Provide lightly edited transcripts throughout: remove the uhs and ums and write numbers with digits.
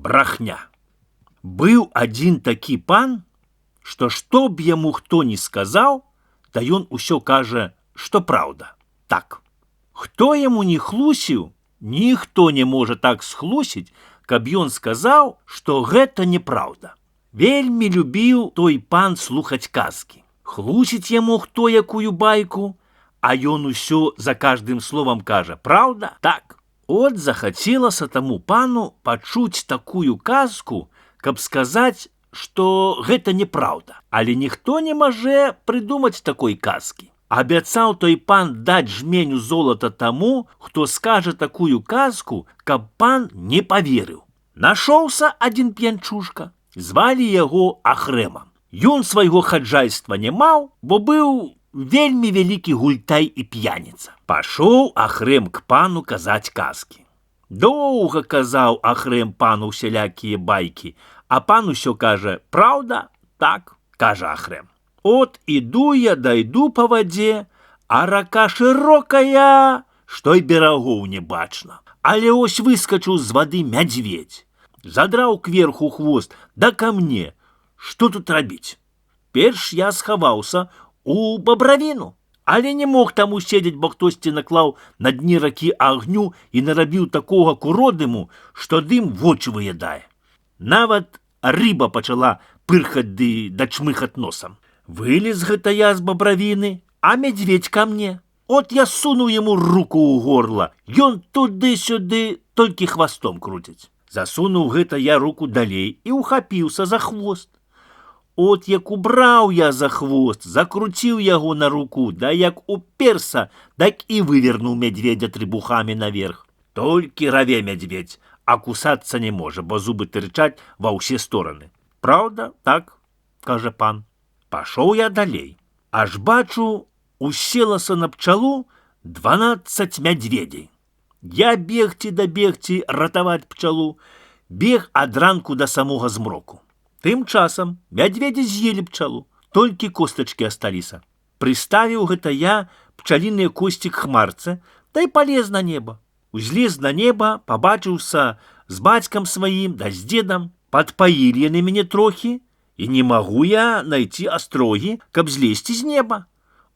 брахня. Быў адзін такі пан, што б яму хто не сказаў, та ён усё кажа, што праўда. Так. Хто яму не хлусіў, ніхто не можа так схлусіць, каб ён сказаў, што гэта неправда. Вельмі любіў той пан слухаць казкі. Хлусіць яму хто якую байку, а ён усё за каждым словам кажа, праўда? Так. От захацелася таму пану пачуць такую казку, каб сказаць, што гэта неправда. Але ніхто не можа прыдумаць такой казкі. Абяцаў той пан даць жменю золата таму, хто скажа такую казку, каб пан не паверыў. Нашоўся адзін п'янчушка, звалі яго Ахрэмам. Ён свайго хаджайства не маў, бо быў вельмі вялікі гультай і п'яніца. Пашоў Ахрэм к пану казаць казкі. Доўга казаў Ахрэм пану усялякія байкі, а пан усё кажа, праўда? Так, кажа Ахрэм. От іду я дайду па вадзе, а рака шырокая, што й берагоў не бачна. Але ось выскачыў з вады мядзведзь. Задраў кверху хвост, да ка мне. Што тут рабіць? Перш я схаваўся у бабравіну, але не мог там уседзець, бо хтосьці наклаў на дні ракі агню і нарабіў такога куродыму, што дым вочы выядае. Нават рыба пачала пырхаць ды дачмыхаць носам. Вылез гэта я з бабравіны, а мядзведзь ка мне. От я сунуў яму руку ў горла, ён туды-сюды толькі хвастом круціць. Засунуў гэта я руку далей і ухапіўся за хвост. От як убраў я за хвост, закруціў яго на руку, да як уперся, так і вывернуў мядзведзя трыбухамі наверх. Толькі раве мядзведзь, а кусацца не можа, бо зубы тырчаць ва ўсе стороны. Праўда? Так, кажа пан. Пашоў я далей. Аж бачу, уселася на пчалу 12 мядзведзей. Я бегці да бегці, ратаваць пчалу, бег ад ранку да самога змроку. Тым часам мядзведзі з'елі пчалу, толькі костачкі асталіся. Прыставіў гэта я пчаліныя косці к хмарцы, да і палез на неба. Узлез на неба, пабачыўся з бацькам сваім да з дзедам, падпаілі яны мяне трохі, і не магу я найти астрогі, каб злезці з неба.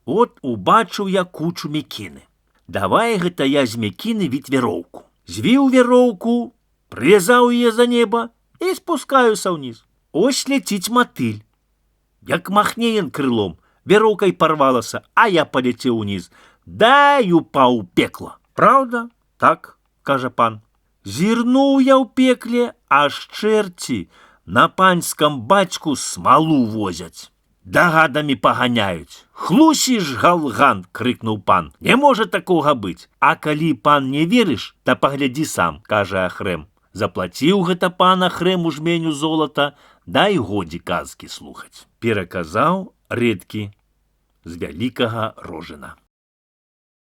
От убачыў я кучу мякіны. Давай гэта я з мякіны віць вяроўку. Звіў вяроўку, прывязаў яе за неба і спускаюся ўніз. Ось ляціць матыль. Як махне ён крылом, вяроўкай парвалася, а я паляцеў униз. Да і упаў у пекла. Праўда? Так, кажа пан. Зірнуў я ў пекле, аж чэрці на панскам бацьку смалу возяць. Дагадамі паганяюць. Хлусіш, галган, крыкнуў пан. Не можа такога быць. А калі пан не верыш, та паглядзі сам, кажа Ахрэм. Заплаціў гэта пан Ахрэму жменю золата, дай годзе казкі слухаць. Пераказаў Рэдкі з Вялікага Рожына.